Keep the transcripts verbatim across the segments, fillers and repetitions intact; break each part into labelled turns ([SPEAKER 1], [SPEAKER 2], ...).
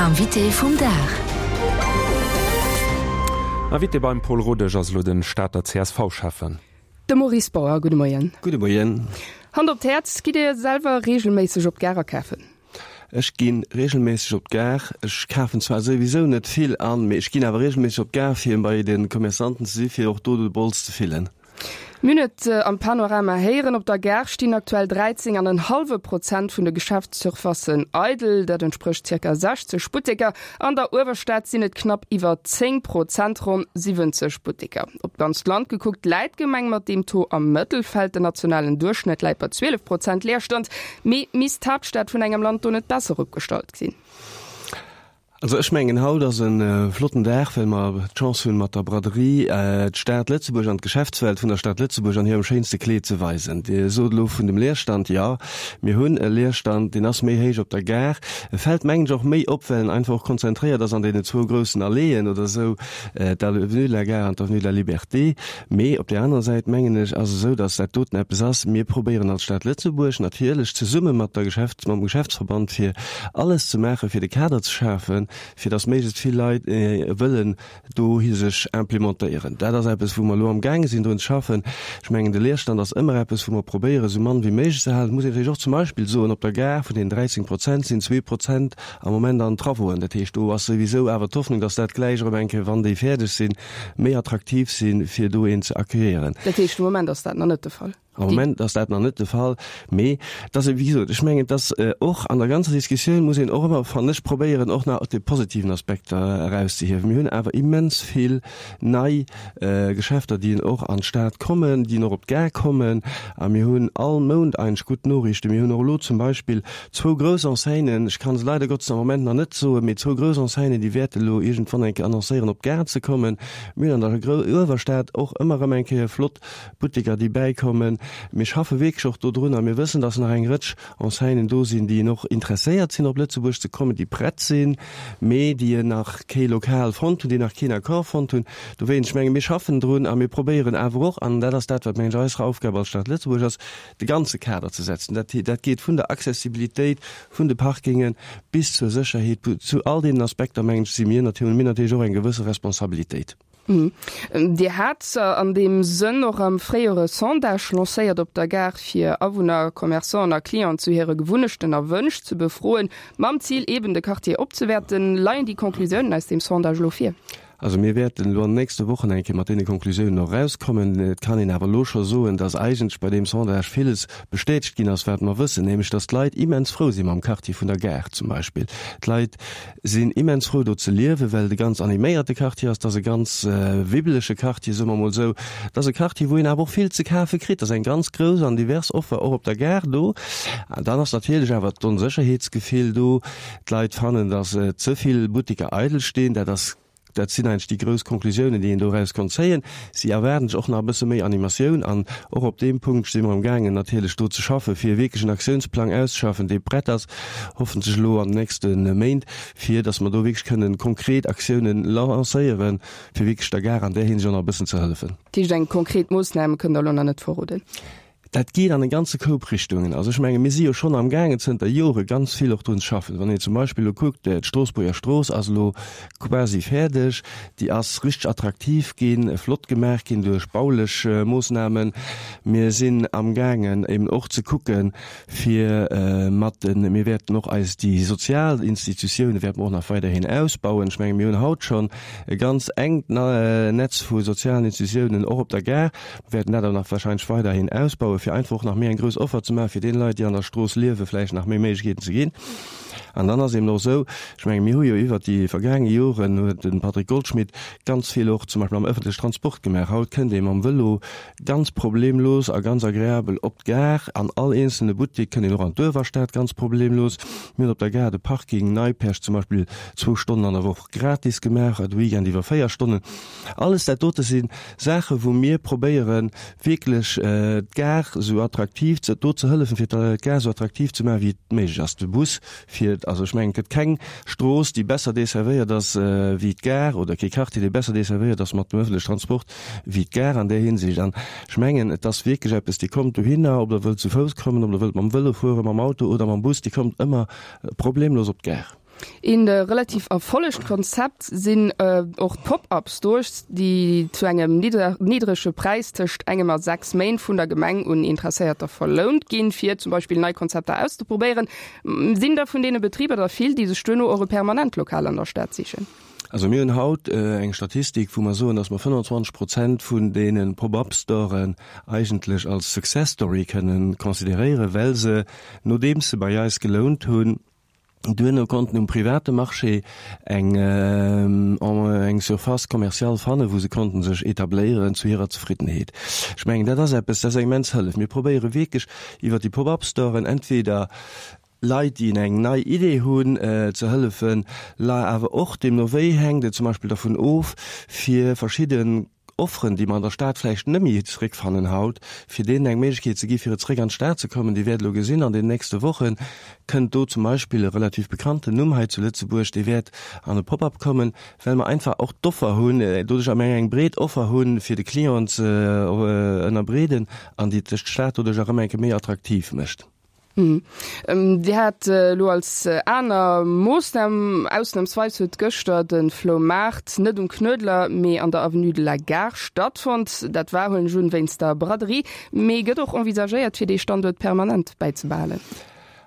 [SPEAKER 1] Invité vum Dag.
[SPEAKER 2] Invité beim Paul Rodesch ass elo den Stater C S V-Schäffen.
[SPEAKER 3] De Maurice Bauer, gudde Moien.
[SPEAKER 4] Gudde Moien.
[SPEAKER 3] Hand op d'Häerz, gitt Dir selwer reegelméisseg op d'Gare akafen?
[SPEAKER 4] Ech gi reegelméisseg op d'Gare. Ech kafen zwar souwisou net vill an, mee ech ginn awer reegelméisseg op d'Gare, fir bei de Commerçanten ze si fir och do de Bols ze fillen.
[SPEAKER 3] Mir hunn et am Panorama héieren, op der Gare stinn aktuell dräizéng an en hallwe Prozent vun de Geschäftssurfacen eidel, dat entsprécht zirka sechzeg Butteker. An der Uewerstad sinn et knapp iwwer zéng Prozent, ronn siwwenzeg Butteker. Op d'ganzt Land gekuckt läit d'Gemeng mat deem Taux am Mëttelfeld, den nationalen Duerchschnëtt läit bei zwielef Prozent Leerstand. Mee misst d'Haaptstad vun engem Land do net besser opgestallt sinn?
[SPEAKER 4] Also ech mengen, haut ass e flotten Dag, well mer d'Chance hunn, mat der Braderie d'Stad Lëtzebuerg an d'Geschäftswelt vun der Stad Lëtzebuerg an hirem schéinste Kleed ze weisen. Dir sot elo vun dem Leerstand, jo, mir hunn e Leerstand, deen ass méi héich op der Gare. E fält, mengen ech, och méi op, well en einfach och konzentréiert ass an deenen zwou groussen Alléeën oder esou, d'Avenue de la Gare an d'Avenue de la Liberté. Mee op där anerer Säit, mengen ech, ass et esou, dass dat doten eppes ass, mir probéieren als Stad Lëtzebuerg natierlech zesumme mat der Geschäfts-, mam Geschäftsverband, fir alles ze maachen, fir de Kader ze schafen, fir dass méiglechst vill Leit wëllen dohi sech implementéieren. Dat ass eppes, wou mer elo amgaange sinn drun ze schaffen. Ech mengen, de Leerstand ass ëmmer eppes, wou mer probéieren, esou mann wéi méiglech ze halen. Et muss een natierlech och zum Beispill soen, op der Gare, vun deenen dräizéng Prozent sinn zwee Prozent am Moment an Travauxen. Dat heescht, do ass souwisou awer d'Hoffnung, dass dat gläich erëm eng Kéier, wann déi fäerdeg sinn, méi attraktiv sinn, fir do een ze accueillieren.
[SPEAKER 3] Dat heescht, de Moment ass dat nach net de Fall?
[SPEAKER 4] Am Moment ass dat nach net de Fall, mee dass, wéi gesot, ech mengen, dass och an der ganzer Diskussioun muss een och ëmmer, fannen ech, probéieren, och nach déi positiven Aspekter erauszehiewen. Mir hunn awer immens vill nei Geschäfter, déi och an d'Stad kommen, déi och op d'Gare kommen, a mir hunn all Mount eigentlech gutt Noriichten. Mir hunn och elo zum Beispill zwou grouss Enseignen, ech kann se leider Gottes am Moment nach net soen, mee zwou grouss Enseignen, déi wäerte elo iergendwann eng Kéier annoncéieren, op d'Gare ze kommen. Mir hunn an der Uewerstad och ëmmer erëm eng Kéier flott Butteker, déi bäikommen. Mir schaffe wierklech och dodrun a mir wëssen, dass nach eng Rëtsch Enseignen do sinn, déi och interesséiert sinn, op Lëtzebuerg ze kommen, déi prett sinn, mee déi nach kee Lokal fonnt hunn, déi nach keen Accord fonnt hunn. Dowéinst, ech menge mir schaffen drun a mir probéieren awer och, an dat ass dat, wat mengen ech eis Aufgab als Stad Lëtzebuerg ass, de ganze Kader ze setzen. Dat, dat geet vun der Accessibilitéit vun de Parkingen bis zur Sécherheet, zu all deenen Aspekter, mengen ech, si mir natierlech, hunn mir natierlech och eng gewësse Responsabilitéit.
[SPEAKER 3] Dir hat an deem Sënn och am Fréijoer e Sondage lancéiert op der Gare, fir Awunner, Commerçanten a Clienten zu hire Gewunnechten a Wënsch ze befroen, mam Zil eben de Quartier opzewäerten. Leien déi Conclusiounen aus deem Sondage elo vir?
[SPEAKER 4] Also mir wäerten elo an den nächste Wochen eng Kéier mat deene Conclusiounen och erauskommen. Et kann een awer elo scho soen, dass eigentlech bei deem Sondage villes bestätegt ginn ass, wat mer wëssen, nämlech dass d'Leit immens frou si mam Quartier vun der Gare zum Beispill. D'Leit sinn immens frou do ze liewen, well et e ganz animéierte Quartier ass. Et ass e ganz wibbelege Quartier, soe mer emol esou. Et ass e Quartier, wou een awer och vill ze kafe kritt. Et ass eng ganz grouss an divers Offer och op der Gare do. An dann ass natierlech awer d'Onsécherheetsgefill do. D'Leit fannen, dass ze vill Butteker eidel stinn. Dat ass Dat sinn eigentlech déi grouss Conclusiounen, déi een doraus konnt zéien. Si erwaarden sech och nach e bësse méi Animatioun an och op deem Punkt si mer amgaangen natierlech do ze schaffen, fir wierklech en Aktiounsplang auszeschaffen, dee prett ass, hoffentlech elo an den nächste Méint, fir datt mer do wierklech kënnen konkret Aktiounen lancéieren, fir wierklech der Gare an där Hinsicht och nach e bëssen ze hëllefen.
[SPEAKER 3] Dat heescht, eng konkret Moossnam kënnt Der elo nach net verroden?
[SPEAKER 4] Dat geet an e ganze Koup Richtungen. Also ech menge mir si jo schonn amgaangen zënter Jore ganz vill och drun ze schaffen. Wann een zum Beispill elo kuckt, d'Stroossbuerger Strooss ass elo quasi fäerdeg, déi ass richteg attraktiv ginn, flott gemaach ginn duerch baulech Moossnamen. Mir sinn amgaangen eben och ze kucken, fir mat den, mir wäerten och eis déi sozial Institutioune wäerte mer och nach weiderhin ausbauen. Ech menge mir hunn haut schonn e ganz enkt Netz vu sozialen Institutiounen och op der Gare. Mir wäerten dat awer nach wahrscheinlech weiderhin ausbauen, fir einfach och nach méi eng grouss Offer ze maachen, fir deene Leit, déi an der Strooss liewen, vläicht nach méi Méiglechkeeten ze ginn. An dann ass eben och esou, ech menge mir hu jo iwwert déi vergaange Joren, huet de Patrick Goldschmidt ganz vill och zum Beispill am öffentliche Transport gemaach. Haut kënnt ee mam Vëlo ganz problemlos a ganz agreabel op d'Gare. An all eenzelne Buttek kënnt een och an d'Uewerstad ganz problemlos. Mir hunn op der Gare de Parking Neipperg zum Beispill zwou Stonnen an der Woch gratis gemaach, de Weekend iwwer véier Stonnen. Alles dat dote si Saachen, wou mir probéieren, wierklech d'Gare esou attraktiv ze, do ze hëllefen, fir d'Gare esou attraktiv ze maachen, wéi et méiglech ass. De Bus fiert, also ech mengen, et gëtt keng Strooss, déi besser desservéiert ass wéi d'Gare, oder kee Quartier, dee besser desservéiert ass mat dem öffentlichen Transport wéi d'Gare an där Hinsicht. An ech mengen, et ass wierklech eppes, Dir kommt dohinner, ob Der wëllt zu Fouss kommen, ob Der wëllt mam Vëlo fueren, mam Auto oder mam Bus, Dir kommt ëmmer problemlos op d'Gare.
[SPEAKER 3] Een relativ erfollegt Konzept sinn och d'Pop-up Stores, déi zu engem niddrege Präis tëscht engem a sechs Méint vun der Gemeng un Interesséierter verlount ginn, fir zum Beispill nei Konzepter auszeprobéieren. Sinn der vun deene Betriber der vill, déi sech duerno och e permanent Lokal an der Stad sichen?
[SPEAKER 4] Also mir hunn haut eng Statistik, wou mer soen, datt mer fënnfanzwanzeg Prozent vun deene Pop-up-Storen eigentlech als Success Story kënnen consideréieren, well se, nodeems se bei eis gelount hunn, duerno konnten um private Marché eng eng Surface commerciale fannen, wou se konnten sech etabléieren zu hirer Zefriddenheet. Ech mengen, dat ass eppes, dat ass eng immens Hëllef. Mir probéiere wierklech iwwert déi Pop-up-Storen entweder Leit, déi eng nei Idee hunn, ze hëllefen, awer och, deemno wéi hänkt et zum Beispill dervun of, fir verschidde Offeren, déi mer an der Stad vläicht net méi zréckfannen haut, fir deenen eng Méiglechkeet ze gi fir zréck an d'Stad ze kommen. Dir wäert elo gesinn, an den nächste Woche kënnt do zum Beispill e relativ bekannten Numm hei zu Lëtzebuerg, dee wäert an e Pop-up kommen, well mer einfach och d'Offer hunn, doduerch am eng breet Offer hunn, fir de Client ze ënnerbreeden an déi d'Stad doduerch erëm eng Kéier méi attraktiv mécht.
[SPEAKER 3] Dir hat elo als aner Moossnam, ausnamsweis huet gëschter de Floumaart net um Knuedler, mee an der Avenue de la Gare stattfonnt. Dat war, huelen ech un, wéinst der Braderie. Mee gëtt och envisagéiert, fir dee Standuert permanent bäizebehalen?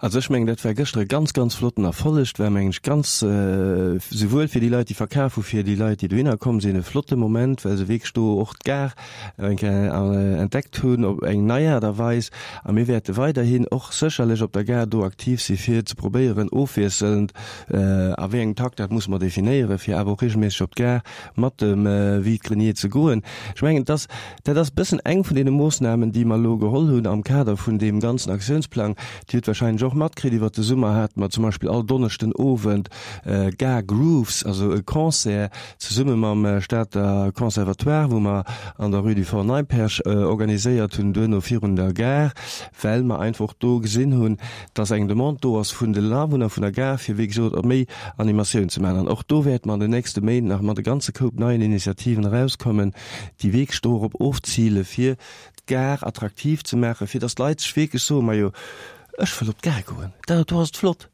[SPEAKER 4] Also ech mengen, dat war gëschter e ganz, ganz flotten Erfolleg. Et war, mengen ech, ganz, souwuel fir déi Leit, déi verkaf hu, fir déi Leit, déi dohinner komm sinn, e flotte Moment, well se wierklech do och d'Gare eng Kéier entdeckt hunn op eng nei Aart a Weis. A mir wäerte weiderhin och sécherlech op der Gare do aktiv si fir ze probéieren, ofwiesselnd, a wéi engem Takt, dat musse mer definéieren, fir awer och regelméisseg op d'Gare mat dem Vide-grenier ze goen. Ech mengen, dass, dat ass e bëssen eng vun deene Moossnamen, déi mer elo geholl hunn am Kader vun deem ganzen Aktiounsplang. Dir hutt wahrscheinlech och matkritt, iwwert de Summer hate mer zum Beispill all Donneschden Owend Gare Grooves, also e Concert zesumme mam Stater Conservatoire, wou mer an der Rue du Fort Neipperg organiséiert hunn, duerno virun der Gare, well mer einfach och do gesinn hunn, dass eng Demande do ass vun den Awunner vun der Gare, fir wéi gesot och méi Animatioun ze maachen. An och do wäerte mer an den nächste Méint nach mat e ganze Koup neien Initiativen erauskommen, déi wierklech dorop ofzile fir d'Gare attraktiv ze maachen, fir dass d'Leit sech wierklech soen, Majo, ech wëll op d'Gare goen, dat do ass et flott.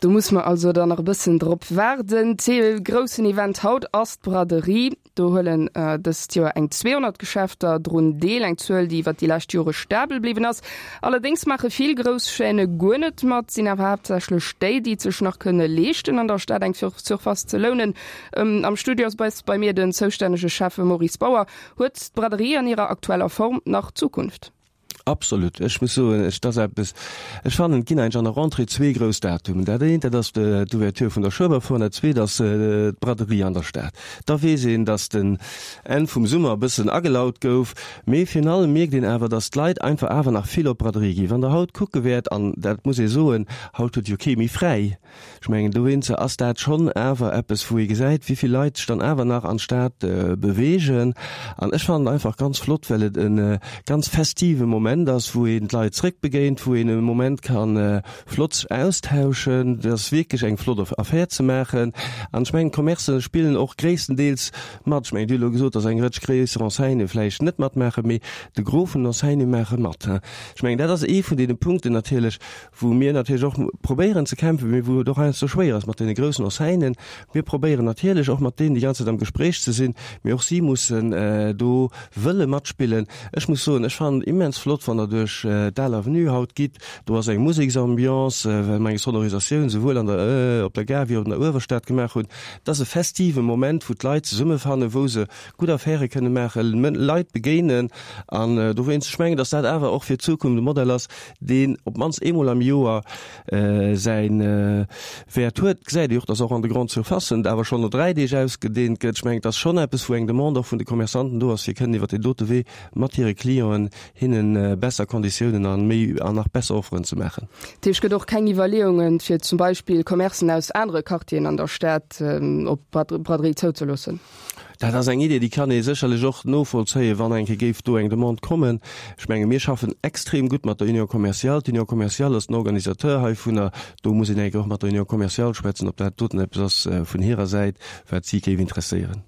[SPEAKER 3] Do muss mer also dann nach e bëssen drop waarden. Dee groussen Event haut ass d'Braderie. Do huelen dëst Joer eng zweehonnert Geschäfter drun deel, eng Zuel, déi iwwer déi lescht Jore stabel bliwwen ass. Allerdéngs maache vill grouss Chaîne guer net mat, sinn awer haaptsächlech déi, déi et sech nach kënne leeschten, an der Stad eng Surface ze lounen. Am Studio ass bei mir den zoustännege Schäffe Maurice Bauer. Huet d'Braderie an hirer aktueller Form nach Zukunft?
[SPEAKER 4] Absolut. Ech muss soen, ech, dat ass eppes, ech fannen, et ginn eigentlech an der Rentrée zwee grouss Datumen. Dat eent, dat ass d'Ouverture vun der Schueberfoire an dat zweet ass d'Braderie an der Stad. Da weess een, datt den Enn vum Summer e bëssen agelaut gouf. Mee virun allem mierkt een awer, datt d'Leit einfach awer nach vill op d'Braderie ginn. Wann Der haut kucke wäert, an dat muss ee soen, haut huet jo kee méi fräi, Ech mengen, dowéinster ass dat schonn awer eppes, wou ee gesäit, wéi vill Leit sech dann awer nach an d'Stad beweegen. An ech fannen et einfach ganz flott, well et e ganz festive Moment ass, wou een d'Leit zréckbegéint, wou een e Moment ka flott sech austauschen. Et ass wierklech eng flott Affär ze maachen. An ech mengen, d'Commercë spillen och gréisstendeels mat. Ech mengen, Dir hutt elo gesot, datt eng Rëtsch gréisser Enseignë vläicht net matmaachen, mee de Gros vun den Enseignë maache mat. Ech mengen, dat ass ee vun deene Punkten natierlech, wou mir natierlech och probéieren ze kämpfen, mee wou et och heiansdo schwéier ass mat deene groussen Enseignen. Mir probéieren natierlech och mat deenen déi ganz Zäit am Gespréich ze sinn, mee och si mussen do wëlle matspillen. Ech muss soen, ech fannen et immens flott, wann Der duerch d'Al Avenue haut gitt, do ass eng Museksambiance, well mer eng Sonorisatioun souwuel an der, op der Gare wéi och an der Uewerstad gemaach hunn. Et ass e festive Moment, wou d'Leit zesummefannen, wou se gutt Affäre kënne maachen, Leit begéinen an dowéinst, ech mengen, datt dat awer och fir d'Zukunft e Modell ass, deen op d'mannst eemol am Joer säi Wäert huet. Gesäit ee och, datt och an de Grandes Surfacen et awer schonn no dräi Deeg ausgedeent gëtt. Ech mengen, et ass schonn eppes, wou eng Demande och vun de Commerçanten do ass, fir kënnen iwwer deen dote Wee mat hire Clienten hinne besser Konditiounen a méi an nach besser Offeren ze maachen.
[SPEAKER 3] Dat heescht, et gëtt och keng Iwwerleeungen, fir zum Beispill Commercen aus anere Quartieren an der Stad op d'Braderie zouzeloossen?
[SPEAKER 4] Dat ass eng Idee, déi kann ee sécherlech och novollzéien, wann eng Kéier géif do eng Demande kommen. Ech menge mir schaffen extrem gutt mat der Union commerciale. D'Union commerciale ass den Organisateur heivunner. Do muss een eng Kéier och mat der Union commerciale schwätzen, ob dat doten eppes ass vun hirer Säit, wat si géif interesséieren.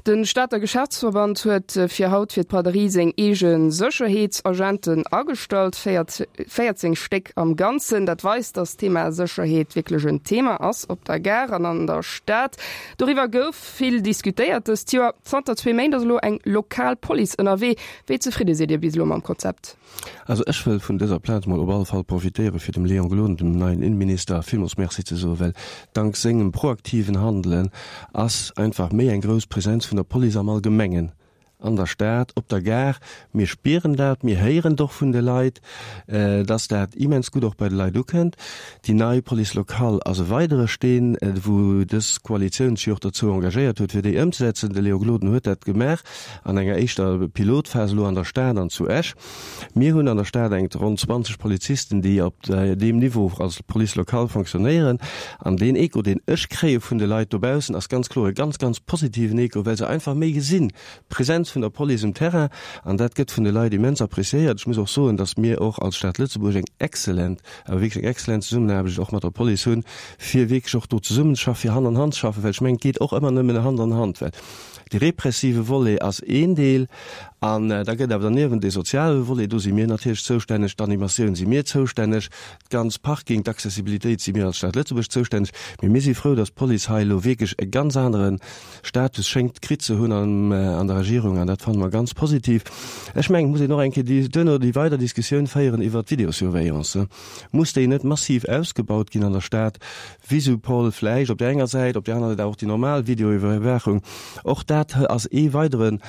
[SPEAKER 3] De Stater Geschäftsverband huet fir haut fir d'Braderie seng eege Sécherheetsagenten agestallt, véierzéng Stéck am Ganzen. Dat weist, datt d'Thema Sécherheet wierklech en Thema ass op der Gare an an der Stad. Doriwwer gouf vill diskutéiert dëst Joer. Zanter zwee Méint ass elo eng lokal Police ënnerwee. Wéi zefridde sidd Dir bis elo mam Konzept?
[SPEAKER 4] Also ech wëll vun dëser Plaz mol op alle Fall profitéiere fir dem Léon Gloden, dem neien Innenminister, villmools Merci ze soen, well dank sengem proaktiven Handelen ass einfach méi eng grouss Präsenz vun der Police am Allgemengen an der Stad, op der Gare. Mir spieren dat, mir héieren et och vun de Leit, dass dat immens gutt och bei de Leit ukënnt. Déi nei Police locale ass e weidere Steen, wou dës Koalitioun sech och dozou engagéiert huet, fir déi ëmzesetzen. De Léon Gloden huet dat gemaach an enger éischter Pilotphas elo an der Stad an zu Esch. Mir hunn an der Stad eng ronn zwanzeg Polizisten, déi op deem Niveau als Police locale fonctionnéieren. An deen Echo, deen ech kréie vun de Leit dobaussen, ass ganz kloer e ganz, ganz positiven Echo, well se einfach méi gesinn, d'Präsenz vun der Police um Terrain, an dat gëtt vun de Leit immens appréciéiert. Ech muss och soen, dass mir och als Stad Lëtzebuerg eng exzellent, awer wierklech eng exzellent Zesummenaarbecht och mat der Police hunn, fir wierklech och do zesummenzeschaffen, fir Hand an Hand ze schaffen, well ech mengen, et geet och ëmmer nëmmen Hand an Hand, well de repressive Volet ass een Deel an da gëtt awer derniewent dee soziale Volet, do si mir natierlech zoustänneg, d'Animatioun si mir zoustänneg, d'ganz Parking, d'Accessibilitéit si mir als Stad Lëtzebuerg zoustänneg. Mee mir si frou, dass d'Police hei elo wierklech e ganz anere Status schéngt kritt ze hunn an der Regierung, an dat fanne mer ganz positiv. Ech mengen, et muss een och eng Kéier duerno déi weider Diskussioun féieren iwwert d'Videosurveillance. Muss déi net massiv ausgebaut ginn an der Stad? Visupol vläicht op där enger Säit, op där anerer Säit awer och déi normal Videoiwwerwaachung. Och dat ass ee weidere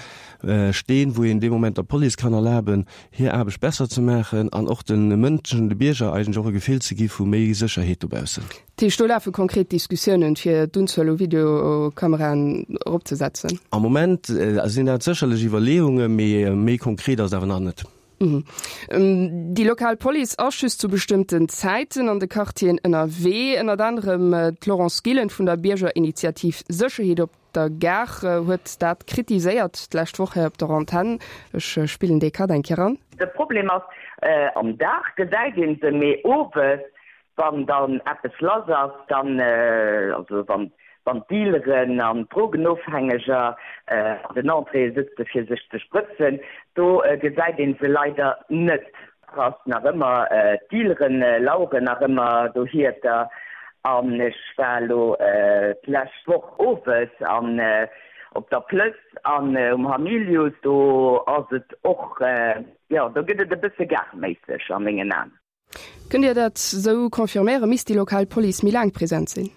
[SPEAKER 4] Steen, wou een dee Moment der Police kann erlaben, hir Aarbecht besser ze maachen an och de Mënschen, de Bierger eigentlech och e Gefill ze gi vu méi Sécherheet dobaussen.
[SPEAKER 3] Dat heescht, do lafe konkret Diskussiounen, fir d'Unzuel u Videokameraen eropzesetzen?
[SPEAKER 4] Am Moment sinn dat sécherlech Iwwerleeungen, mee méi konkret ass et awer nach net.
[SPEAKER 3] Déi lokal Police ass just zu bestëmmten Zäiten an de Quartieren ënnerwee. Ënnert anerem d'Laurence Gillen vun der Biergerinitiativ Sécherheet op der Gare huet dat kritiséiert d'lescht Woch hei op der Antenn. Ech spillen dee Cut eng Kéier an.
[SPEAKER 1] De Problem ass, am Dag gesäit een se, mee owes, wann dann eppes lass ass, dann, also wann wann d'Dealeren an d'Drogenofhängeger an den Entréeë sëtze fir sech ze sprëtzen, do gesäit een se leider net. Ass nach ëmmer, d'Dealeren laueren nach ëmmer dohierter an ech war elo d'lescht Woch owes an op der Plëss an um Hamilius, do ass et och, jo, do gëtt et e bësse gareméisseg a mengen Aen.
[SPEAKER 3] Kënnt Dir dat sou confirméieren? Misst déi lokal Police méi laang present sinn?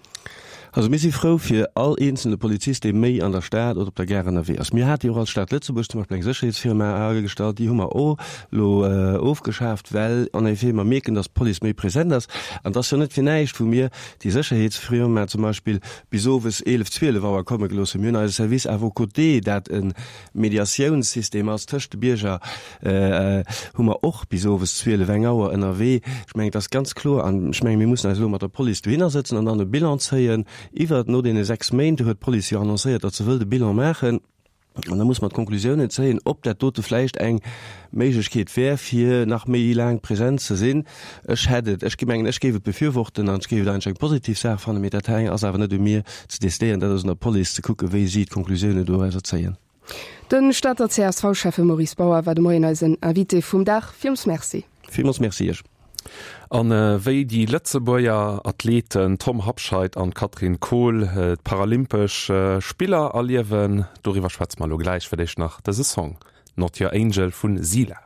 [SPEAKER 4] Also mir si frou fir all eenzelne Polizist, dee méi an der Stad oder op der Gare ënnerwee ass. Mir hate jo och als Stad Lëtzebuerg zum Beispill eng Sécherheetsfirma agestallt, déi hu mer och elo ofgeschaaft, well en effet mer mierken, datt d'Police méi present ass. An et ass jo net fir näischt, wou mir déi Sécherheetsfirma zum Beispill bis owes eelef, zwielef Auer komme gelooss hunn. Mir hunn eise Service à vos côtés, dat e Mediatiounssystem ass tëscht de Bierger, hu mer och bis owes zwielef, eng Auer ënnerwee. Ech mengen, et ass ganz kloer, an ech mengen, mir mussen eis elo mat der Police dohinner sëtzen an dann e Bilan zéien iwwert, no deene sechs Méint, do huet d'Police jo annoncéiert, datt se wëllt e Bilan maachen, an da muss mer d'Konklusiounen zéien, ob dat dote vläicht eng Méiglechkeet wär, fir nach méi laang present ze sinn. Ech hätt et, ech mengen, ech géif et befürworten an ech géif et eigentlech eng positiv Saach fannen, mee dat hei ass awer net u mir ze décidéieren, dat ass un der Police ze kucken, wéi si d'Konklusiounen dorauser zéien.
[SPEAKER 3] De Stater C S V-Schäffe Maurice Bauer war de Moien eisen Invité vum Dag. Villmools Merci.
[SPEAKER 4] Villmools Merci Iech.
[SPEAKER 2] An wéi déi Lëtzebuerger Athleten Tom Habscheid an Katrin Kohl d'Paralympesch Spiller erliewen, doriwwer schwätze mer elo gläich. Fir d'éischt nach dëse Song Not Your Angel vun Sila.